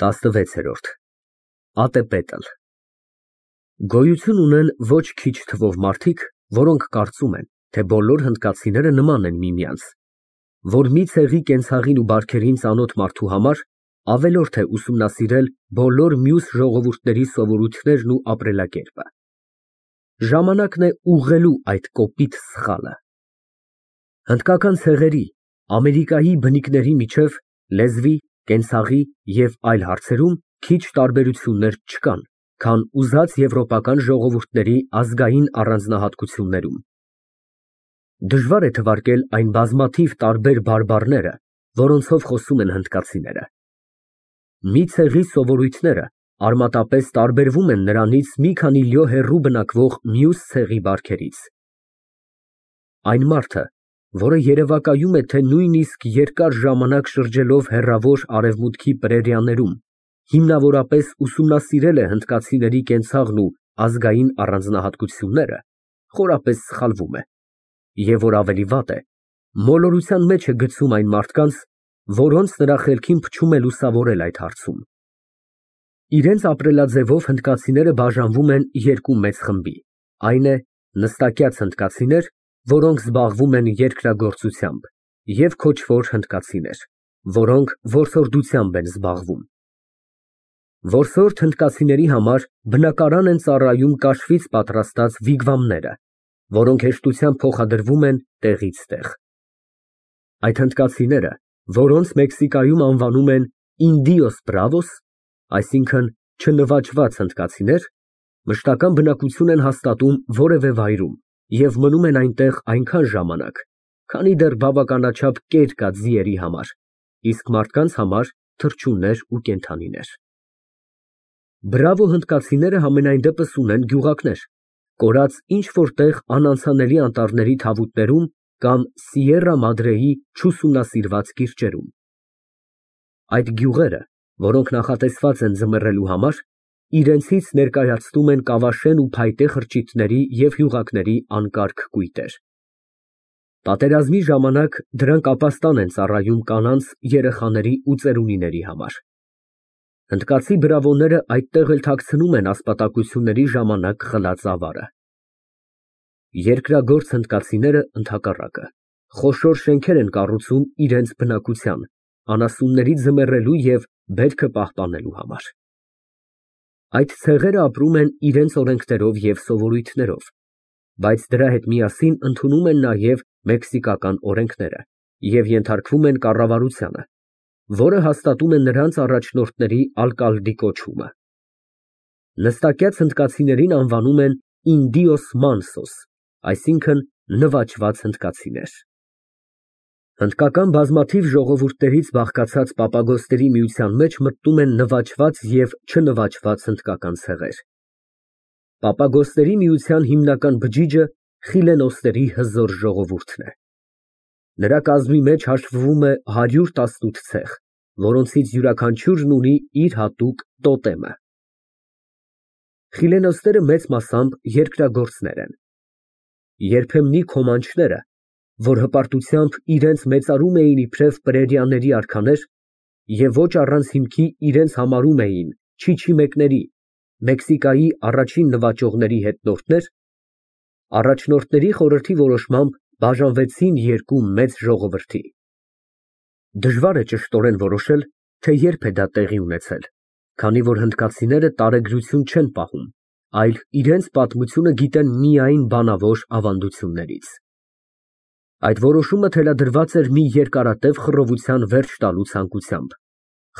16-րդ Ատեպետլ Գոյություն ունեն ոչ քիչ թվով մարդիկ, որոնք կարծում են, թե բոլոր հնդկացիները նման են միմյանց, որ մի ցեղի կենցաղին ու բարքերին ծանոթ մարդու համար ավելորդ է ուսումնասիրել բոլոր մյուս ժողովուրդների սովորույթներն ու ապրելակերպը։ Ժամանակն է ուղղելու այդ կոպիտ սխալը։ Հնդկական ցեղերի, Ամերիկայի բնիկների միջև լեզվի, կենցաղի և այլ հարցերում քիչ տարբերություններ չկան, քան ուզած եվրոպական ժողովուրդների ազգային առանձնահատկություններում։ Դժվար է թվարկել այն բազմաթիվ տարբեր բարբառները, որոնցով խոսում են հնդկացիները։ Մի ցեղի սովորույթները արմատապես տարբերվում են նրանից մի քանի լյո հեռու բնակվող մյուս ցեղի բարքերից։ Այն մարդը, որը երևակայում է, թե նույնիսկ երկար ժամանակ շրջելով հեռավոր արևմուտքի պրերիաներում, հիմնավորապես ուսումնասիրել է հնդկացիների կենցաղն ու ազգային առանձնահատկությունները, խորապես սխալվում է, և որ ավելի վատ է, մոլորության մեջ է գցում այն մարդկանց, որոնց նրա խելքին փչում է լուսավորել այդ հարցում։ Իրենց ապրելաձևով հնդկացիները բաժանվում են երկու մեծ խմբի, այն է նստակյաց հնդկացիներ, որոնք զբաղվում են երկրագործությամբ, և քոչվոր հնդկացիներ, որոնք որսորդությամբ են զբաղվում։ Որսորդ հնդկացիների համար բնակարան են ծառայում կաշվից պատրաստած վիգվամները, որոնք հեշտությամբ փոխադրվում են տեղից տեղ։ Այդ հնդկացիները, որոնց Մեքսիկայում անվանում են Indios Bravos, այսինքն չնվաճված հնդկացիներ, մշտական բնակություն են հաստատում որևէ վայրում և մնում են այնտեղ այնքան ժամանակ, քանի դեռ բավականաչափ կեր կա ձիերի համար, իսկ մարդկանց համար թռչուններ ու կենդանիներ։ Բրավո հնդկացիները համենայնդեպս ունեն գյուղակներ, կորած ինչ֊որ տեղ անանցանելի անտառների թավուտներում կամ Սիերա Մադրեի չուսումնասիրված կիրճերում։ Այդ գյուղերը, որոնք նախատեսված են ձմեռելու համար, իրենցից ներկայացնում են կավաշեն ու փայտե խրճիթների և հյուղակների անկարգ կույտեր։ Պատերազմի ժամանակ դրանք ապաստան են ծառայում կանանց, երեխաների ու ծերունիների համար։ Հնդկացի բրավոները այդտեղ էլ թաքցնում են ասպատակությունների ժամանակ խլած ավարը։ Երկրագործ հնդկացիները, ընդհակառակը, խոշոր շենքեր են կառուցում իրենց բնակության, անասուններից ձմեռելու և բերքը պահպանելու համար։ Այդ ցեղերը ապրում են իրենց օրենքներով և սովորույթներով, բայց դրա հետ միասին ընդունում են նաև մեքսիկական օրենքները և ենթարկվում են կառավարությանը, որը հաստատում է նրանց առաջնորդների ալկալդի կոչումը։ Նստակյաց հնդկացիներին անվանում են Indios Mansos, այսինքն նվաճված հնդկացիներ։ Հնդկական բազմաթիվ ժողովուրդներից բաղկացած պապագոսների միության մեջ մտնում են նվաճված և չնվաճված հնդկական ցեղեր։ Պապագոսների միության հիմնական բջիջը խիլենոսների հզոր ժողովուրդն է։ Նրա կազմի մեջ հաշվվում է 118 ցեղ, որոնցից յուրաքանչյուրն ունի իր հատուկ տոտեմը։ Խիլենոսները մեծ մասամբ երկրագործներ են։ Երբեմնի քոմանչները, որ հպարտությամբ իրենց մեծարում էին իբրև պրերիաների արքաներ և ոչ առանց հիմքի իրենց համարում էին չիչիմեկների, Մեքսիկայի առաջին նվաճողների հետնորդներ, առաջնորդների խորհրդի որոշմամբ բաժանվեցին երկու մեծ ժողովրդի։ Դժվար է ճշտորեն որոշել, թե երբ է դա տեղի ունեցել, քանի որ հնդկացիները տարեգրություն չեն պահում, այլ իրենց պատմությունը գիտեն միայն բանավոր ավանդություններից։ Այդ որոշումը թելադրված էր մի երկարատև խռովության վերջ տալու ցանկությամբ,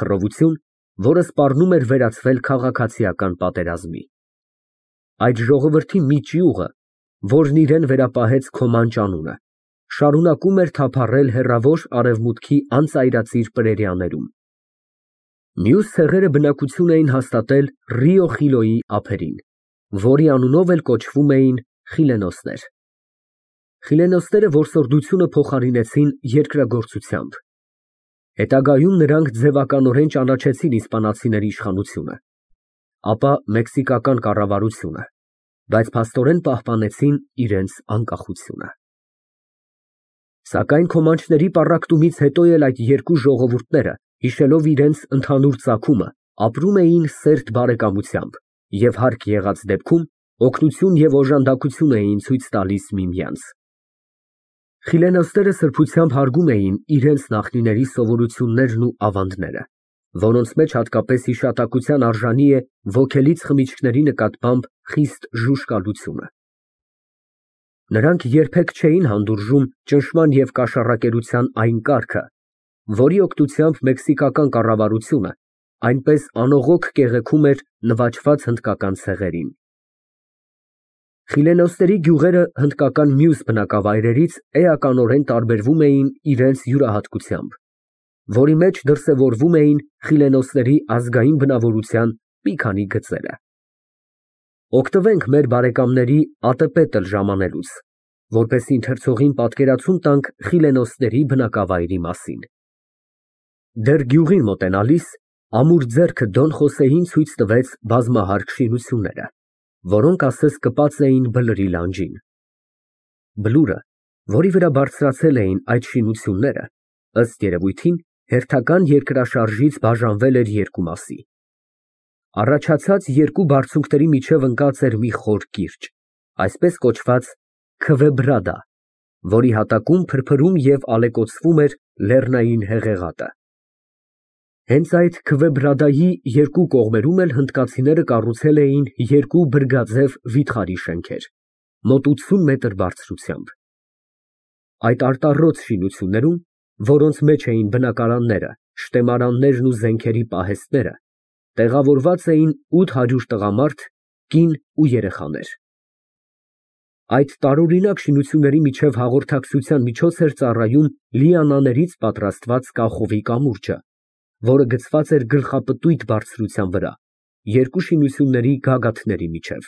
խռովություն, որը սպառնում էր վերածվել քաղաքացիական պատերազմի։ Այդ ժողովրդի մի ճյուղը, որն իրեն վերապահեց Քոմանչ անունը, շարունակում էր թափառել հեռավոր արևմուտքի անծայրածիր պրերիաներում։ Մյուս ցեղերը բնակություն էին հաստատել Ռիո Խիլոյի ափերին, որի անունով էլ կոչվում էին խիլենոսներ։ Խիլենոսները որսորդությունը փոխարինեցին երկրագործությամբ։ Հետագայում նրանք ձևականորեն ճանաչեցին իսպանացիների իշխանությունը, ապա մեքսիկական կառավարությունը, բայց փաստորեն պահպանեցին իրենց անկախությունը։ Սակայն քոմանչների պառակտումից հետո էլ այդ երկու ժողովուրդները, հիշելով իրենց ընդհանուր ծագումը, ապրում էին սերտ բարեկամությամբ և հարկ եղած դեպքում օգնություն և օժանդակություն էին ցույց տալիս միմյանց։ Խիլենոստերը սրբությամբ հարգում էին իրենց նախնիների սովորություններն ու ավանդները, որոնց մեջ հատկապես հիշատակության արժանի է ոգելից խմիչքների նկատմամբ խիստ ժուժկալությունը։ Նրանք երբեք չէին հանդուրժում ճնշման և կաշառակերության այն կարգը, որի օգնությամբ մեքսիկական կառավարությունը այնպես անողոք կեղեքում էր նվաճված հնդկական ցեղերին։ Խիլենոստերի գյուղերը հնդկական մյուս բնակավայրերից էականորեն տարբերվում էին իրենց յուրահատկությամբ, որի մեջ դրսևորվում էին խիլենոստերի ազգային բնավորության մի քանի գծերը։ Օգտվենք մեր բարեկամների ատեպետլ ժամանելուց, որպեսզի ընթերցողին պատկերացում տանք խիլենոստերի բնակավայրի մասին։ Դեռ գյուղին մոտենալիս ամուր ձեռքը Դոն Խոսեին ցույց տվեց բազմահարկ շինությունները, որոնք ասես կպած էին բլրի լանջին։ Բլուրը, որի վրա բարձրացել էին այդ շինությունները, ըստ երևույթին, հերթական երկրաշարժից բաժանվել էր երկու մասի։ Առաջացած երկու բարձունքների միջև ընկած էր մի խոր կիրճ, այսպես կոչված Քվեբրադա, որի հատակում փրփրում և ալեկոծվում էր լեռնային հեղեղատը։ Հենց այդ Քվեբրադայի երկու կողմերում էլ հնդկացիները կառուցել էին երկու բրգաձև վիթխարի շենքեր, մոտ 80 մետր բարձրությամբ։ Այդ արտառոց շինություններում, որոնց մեջ էին բնակարանները, շտեմարաններն ու զենքերի պահեստները, տեղավորված էին 800 տղամարդ, կին ու երեխաներ։ Այդ տարօրինակ շինությունների միջև հաղորդակցության միջոց էր ծառայում լիանաներից պատրաստված կախովի կամուրջը, որը գծված էր գլխապտույտ բարձրության վրա, երկու շինությունների գագաթների միջև։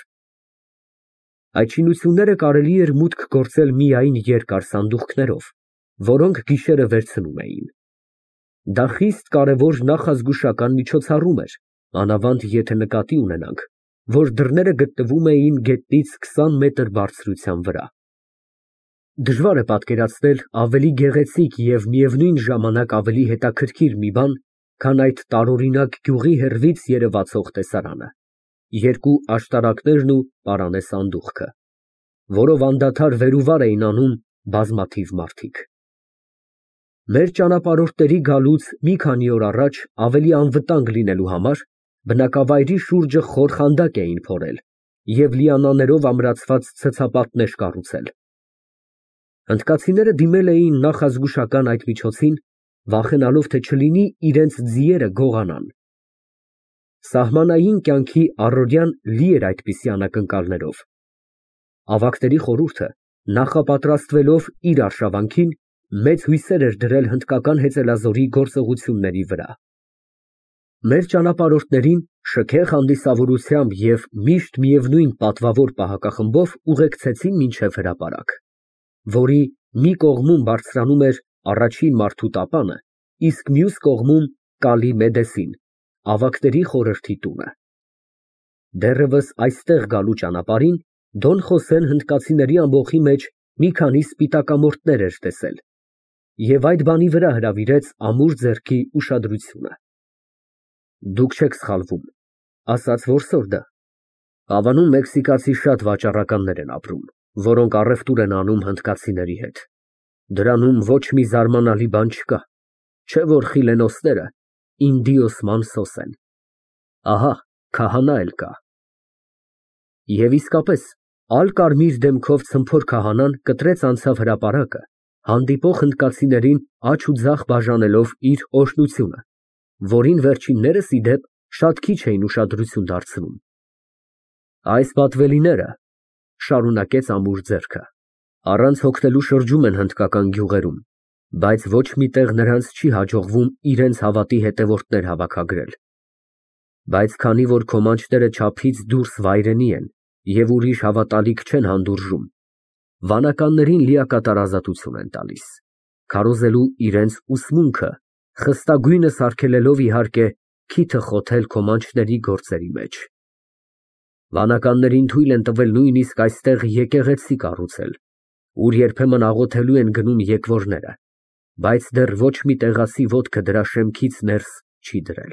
Այդ շինությունները կարելի էր մուտք գործել միայն երկար սանդուղքներով, որոնք գիշերը վերցնում էին։ Դա խիստ կարևոր նախազգուշական միջոցառում էր, մանավանդ եթե նկատի ունենանք, որ դռները գտնվում էին գետնից 20 մետր բարձրության վրա։ Դժվար է պատկերացնել ավելի գեղեցիկ և միևնույն ժամանակ ավելի հետաքրքիր մի բան, քան այդ տարօրինակ գյուղի հեռվից երևացող տեսարանը, երկու աշտարակներն ու պարանե սանդուղքը, որով անդադար վեր ու վար էին անում բազմաթիվ մարդիկ։ Մեր ճանապարհորդների գալուց մի քանի օր առաջ ավելի անվտանգ լինելու համար բնակավայրի շուրջը խոր խանդակ էին փորել և լիանաներով ամրացված ցցապատներ կառուցել։ Հնդկացիները դիմել էին նախազգուշական այդ միջոցին, վախենալով, թե չլինի իրենց ձիերը գողանան։ Սահմանային կյանքի առօրյան լի էր այդպիսի անակնկալներով։ Ավագների խորհուրդը, նախապատրաստվելով իր արշավանքին, մեծ հույսեր էր դրել հնդկական հեծելազորի գործողությունների վրա։ Մեր ճանապարհորդներին շքեղ հանդիսավորությամբ և միշտ միևնույն պատվավոր պահակախմբով ուղեկցեցին մինչև հրապարակ, որի մի կողմում բարձրանում էր առաջին մարդու տապանը, իսկ մյուս կողմում Կալի Մեդեսին, ավագների խորհրդի տունը։ Դեռևս այստեղ գալու ճանապարհին Դոն Խոսեն հնդկացիների ամբոխի մեջ մի քանի սպիտակամորթներ էր տեսել և այդ բանի վրա հրավիրեց ամուր ձեռքի ուշադրությունը։ Դուք չեք սխալվում, ասաց որսորդը, հավանում մեքսիկացի շատ վաճառականներ են ապրում, որոնք առևտուր են անում հնդկացիների հետ։ Դրանում ոչ մի զարմանալի բան չկա, չէ որ խիլենոստերը ինդիոս մանսոս են։ Ահա քահանա էլ կա։ Եվ իսկապես, ալ֊կարմիր դեմքով ցմփոր քահանան կտրեց անցավ հրապարակը, հանդիպող հնդկացիներին աջ ու ձախ բաժանելով իր օրհնությունը, որին վերջիններս, ի դեպ, շատ քիչ էին ուշադրություն դարձնում։ Այս պատվելիները, շարունակեց ամուր ձեռքը, առանց հոգնելու շրջում են հնդկական գյուղերում, բայց ոչ մի տեղ նրանց չի հաջողվում իրենց հավատի հետևորդներ հավաքագրել։ Բայց քանի որ քո մանչները չափից դուրս վայրենի են և ուրիշ հավատալիք չեն հանդուրժում, վանականներին լիակատար ազատություն են տալիս, քարոզելու իրենց ուսմունքը, խստագույնս արգելելով, իհարկե, քիթը խոթել քո մանչների գործերի մեջ։ Վանականներին թույլ են տվել նույնիսկ այստեղ եկեղեցի կառուցել, ուր երբեմն աղոթելու են գնում եկվորները, բայց դեռ ոչ մի տեղացի ոտքը դրա շեմքից ներս չի դրել։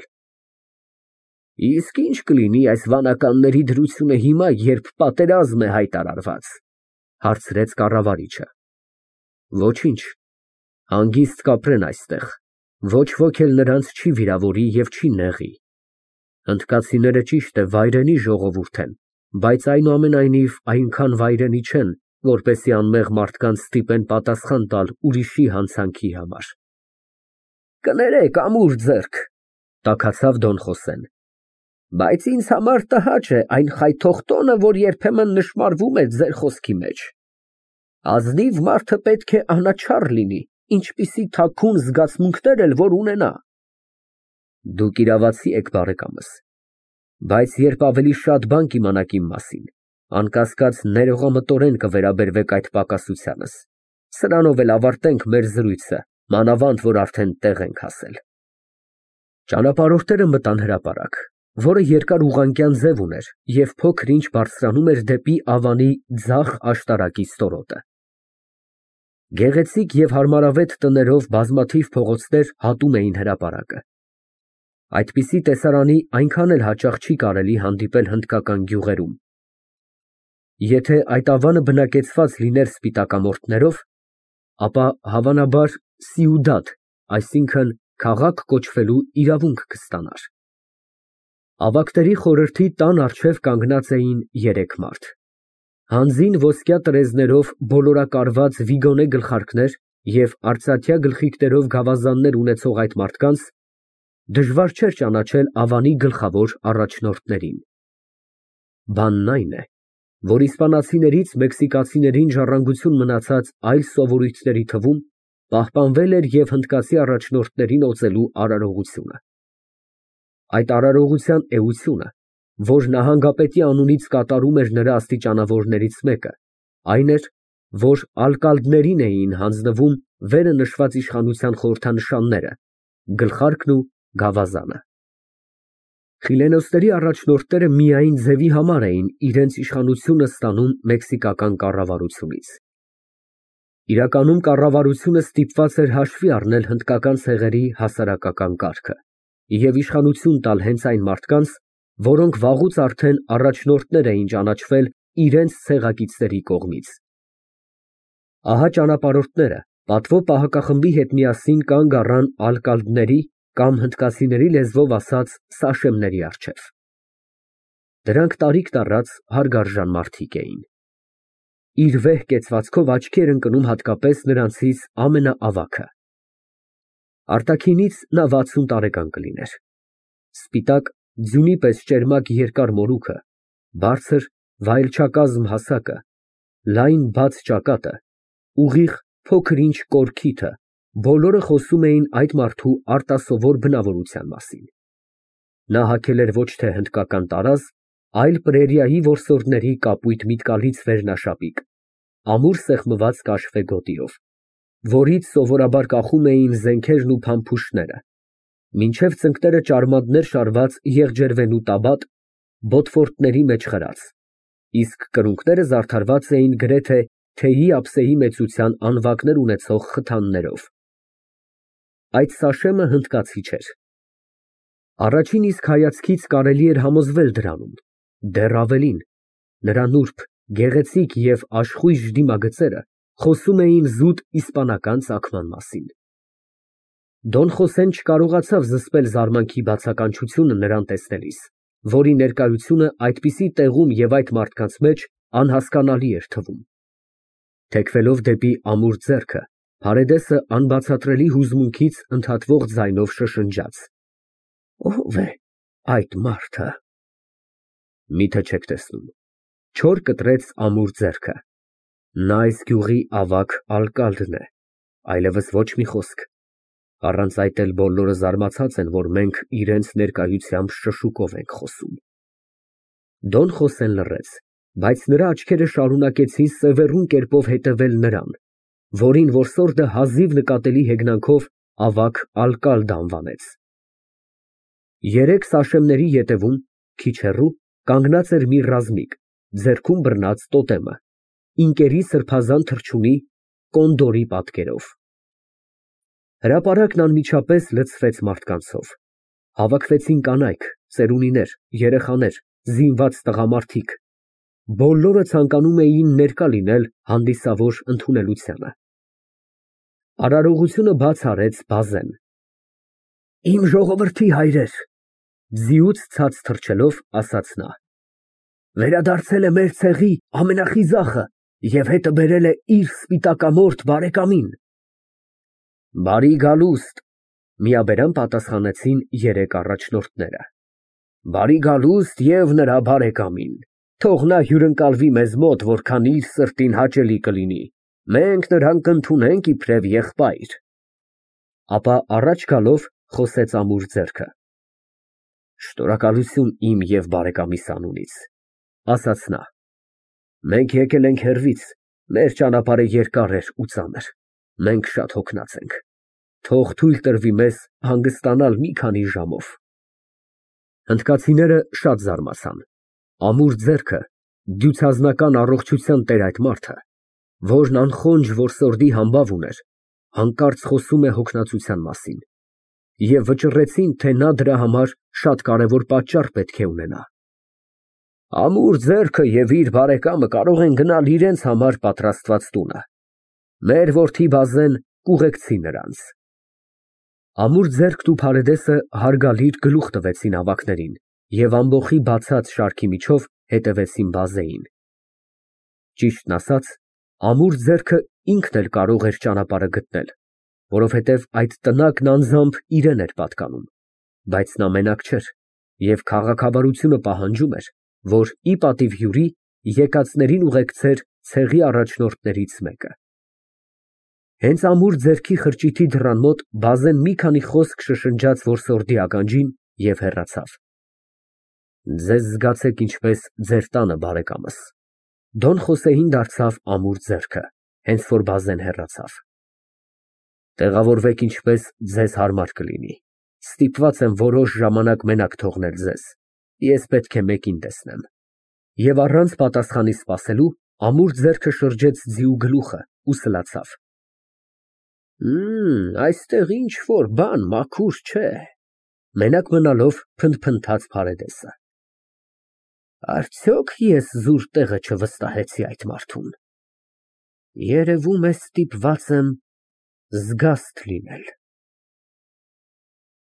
Իսկ ինչ կլինի այս վանականների դրությունը հիմա, երբ պատերազմ է հայտարարված, հարցրեց կառավարիչը։ Ոչինչ, հանգիստ կապրեն այստեղ, ոչ ոք էլ նրանց չի վիրավորի և չի նեղի։ Հնդկացիները ճիշտ է վայրենի ժողովուրդ են, բայց այնուամենայնիվ այնքան վայրենի չեն, որպեսզի անմեղ մարդկանց ստիպեն պատասխան տալ ուրիշի հանցանքի համար։ Կներեք, ամուր ձեռք, տաքացավ Դոն Խոսեն, բայց ինձ համար տհաճ է այն խայթող տոնը, որ երբեմն նշմարվում է ձեր խոսքի մեջ։ Ազնիվ մարդը պետք է անաչառ լինի, ինչպիսի թաքուն զգացմունքներ էլ որ ունենա։ Դուք իրավացի եք, բարեկամս, բայց երբ ավելի շատ բան կիմանաք իմ մասին, անկասկած ներողամտորեն կվերաբերվեք այդ պակասությանս։ Սրանով էլ ավարտենք մեր զրույցը, մանավանդ որ արդեն տեղ ենք հասել։ Ճանապարհորդները մտան հրապարակ, որը երկար ուղղանկյան ձև ուներ և փոքր-ինչ բարձրանում էր դեպի Ավանի ձախ աշտարակի ստորոտը։ Գեղեցիկ և հարմարավետ տներով բազմաթիվ փողոցներ հատում էին հրապարակը։ Այդպիսի տեսարանի այնքան էլ հաճախ չի կարելի հանդիպել հնդկական գյուղերում։ Եթե այդ Ավանը բնակեցված լիներ սպիտակամորթներով, ապա հավանաբար Սիուդադ, այսինքն քաղաք կոչվելու իրավունք կստանար։ Ավագների խորհրդի տան առջև կանգնած էին երեք մարդ։ Հանձին ոսկյա տրեզներով բոլորակարված վիգոնե գլխարկներ և արծաթյա գլխիկներով գավազաններ ունեցող այդ մարդկանց դժվար չէր ճանաչել Ավանի գլխավոր առաջնորդներին։ Բանն այն է, որ իսպանացիներից մեքսիկացիներին ժառանգություն մնացած այլ սովորույթների թվում պահպանվել էր և հնդկացի առաջնորդներին օծելու արարողությունը։ Այդ արարողության էությունը, որ նահանգապետի անունից կատարում էր նրա աստիճանավորներից մեկը, այն էր, որ ալկալդներին էին հանձնվում վերը նշված իշխանության խորհրդանշանները, գլխարկն ու գավազանը։ Խիլենոսների առաջնորդները միայն ձևի համար էին իրենց իշխանությունը ստանում մեքսիկական կառավարությունից։ Իրականում կառավարությունը ստիպված էր հաշվի առնել հնդկական ցեղերի հասարակական կարգը և իշխանություն տալ հենց այն մարդկանց, որոնք վաղուց արդեն առաջնորդներ էին ճանաչվել իրենց ցեղակիցների կողմից։ Ահա ճանապարհորդները պատվո պահակախմբի հետ միասին կանգ առան ալկալդների կամ հնդկացիների լեզվով ասած սաշեմների առջև։ Դրանք տարիք տառած հարգարժան մարդիկ էին։ Իր վեհ կեցվածքով աչքի էր ընկնում հատկապես նրանցից ամենաավագը։ Արտաքինից նա 60 տարեկան կլիներ։ Սպիտակ, ձյունի պես ճերմակ երկար մորուքը, բարձր, վայելչակազմ հասակը, լայն բաց ճակատը, ուղիղ փոքր-ինչ կորքիթը, բոլորը խոսում էին այդ մարդու արտասովոր բնավորության մասին։ Նա հագել էր ոչ թե հնդկական տարազ, այլ պրերիայի որսորդների կապույտ միտկալից վերնաշապիկ, ամուր սեղմված կաշվե գոտիով, որից սովորաբար կախում էին զենքերն ու փամփուշտները, մինչև ծնկները ճարմանդներ շարված եղջերվենու տաբատ, բոտֆորտների մեջ խրած, իսկ կրունկները զարդարված էին գրեթե թեյի ափսեի մեծության անվակներ ունեցող խթաններով։ Այդ սաշեմը հնդկացի չէր։ Առաջին իսկ հայացքից կարելի էր համոզվել դրանում, դեռ ավելին, նրա նուրբ, գեղեցիկ և աշխույժ դիմագծերը խոսում էին զուտ իսպանական ծագման մասին։ Դոն Խոսեն չկարողացավ զսպել զարմանքի բացականչությունը նրան տեսնելիս, որի ներկայությունը այդպիսի տեղում և այդ մարդկանց մեջ անհասկանալի էր թվում։ Թեքվելով դեպի ամուր ձեռքը, Փարեդեսը անբացատրելի հուզմունքից ընդհատվող ձայնով շշնջաց. Ո՞վ է այդ մարդը։ Միթե չեք տեսնում, չոր կտրեց ամուր ձեռքը։ Նա այս գյուղի ավագ ալկալդն է, այլևս ոչ մի խոսք։ Առանց այդ էլ բոլորը զարմացած են, որ մենք իրենց ներկայությամբ շշուկով ենք խոսում։ Դոն Խոսեն լռեց, բայց նրա աչքերը շարունակեցին սևեռուն կերպով հետևել նրան, որին որսորդը հազիվ նկատելի հեգնանքով ավագ ալկալդ անվանեց։ Երեք սաշեմների ետևում, քիչ հեռու, կանգնած էր մի ռազմիկ, ձեռքում բռնած տոտեմը, ինկերի սրբազան թռչունի, կոնդորի պատկերով։ Հրապարակն անմիջապես լցվեց մարդկանցով։ Հավաքվեցին կանայք, ծերունիներ, երեխաներ, զինված տղամարդիկ, բոլորը ցանկանում էին ներկա լինել հանդիսավոր ընդունելությանը։ Արարողությունը բաց արեց Բազեն։ Իմ ժողովրդի հայրեր, ձիուց ցած թռչելով ասաց նա, վերադարձել է մեր ցեղի ամենախիզախը և հետը բերել է իր սպիտակամորթ բարեկամին։ Բարի գալուստ, միաբերան պատասխանեցին երեք առաջնորդները։ Բարի գալուստ և նրա բարեկամին, թող նա հյուրընկալվի մեզ մոտ, որքան իր սրտին հաճելի կլինի, մենք նրան կընդունենք իբրև եղբայր։ Ապա առաջ գալով խոսեց ամուր ձեռքը. Շնորհակալություն իմ և բարեկամիս անունից, ասաց նա, մենք եկել ենք հեռվից, մեր ճանապարհը երկար էր ու ծանր, մենք շատ հոգնած ենք, թող թույլ տրվի մեզ հանգստանալ մի քանի ժամով։ Հնդկացիները շատ զարմացան, ամուր ձեռքը, դյուցազնական առողջության տեր այդ մարդը, որն անխոնջ որսորդի համբավ ուներ, հանկարծ խոսում է հոգնածության մասին, և վճռեցին, թե նա դրա համար շատ կարևոր պատճառ պետք է ունենա։ Ամուր ձեռքը և իր բարեկամը կարող են գնալ իրենց համար պատրաստված տունը։ Մեր որդի Բազեն կուղեկցի նրանց։ Ամուր ձեռքն ու Փարեդեսը հարգալից գլուխ տվեցին ավագներին և ամբոխի բացած շարքի միջով հետևեցին Բազեին։ Ճիշտն ասած, ամուր ձեռքը ինքն էլ կարող էր ճանապարհը գտնել, որովհետև այդ տնակն անձամբ իրեն էր պատկանում, բայց նա մենակ չէր և քաղաքավարությունը պահանջում էր, որ ի պատիվ հյուրի եկածներին ուղեկցեր ցեղի առաջնորդներից մեկը։ Հենց ամուր ձեռքի խրճիթի դռան մոտ Բազեն մի քանի խոսք շշնջաց որսորդի ականջին և հեռացավ։ Ձեզ զգացեք ինչպես ձեր տանը, բարեկամս։ Դոն Խոսեին դարձավ ամուր ձեռքը, հենց որ Բազեն հեռացավ։ Տեղավորվեք ինչպես ձեզ հարմար կլինի։ Ստիպված եմ որոշ ժամանակ մենակ թողնել ձեզ, ես պետք է մեկին տեսնեմ։ Եվ առանց պատասխանի սպասելու, ամուր ձեռքը շրջեց ձիու գլուխը ու սլացավ։ Այստեղ ինչ֊որ բան մաքուր չէ, մենակ մնալով փնթփնթաց Փարեդեսը։ Արդյոք ես զուր տեղը չվստահեցի այդ մարդուն։ Երևում է ստիպված եմ զգաստ լինել։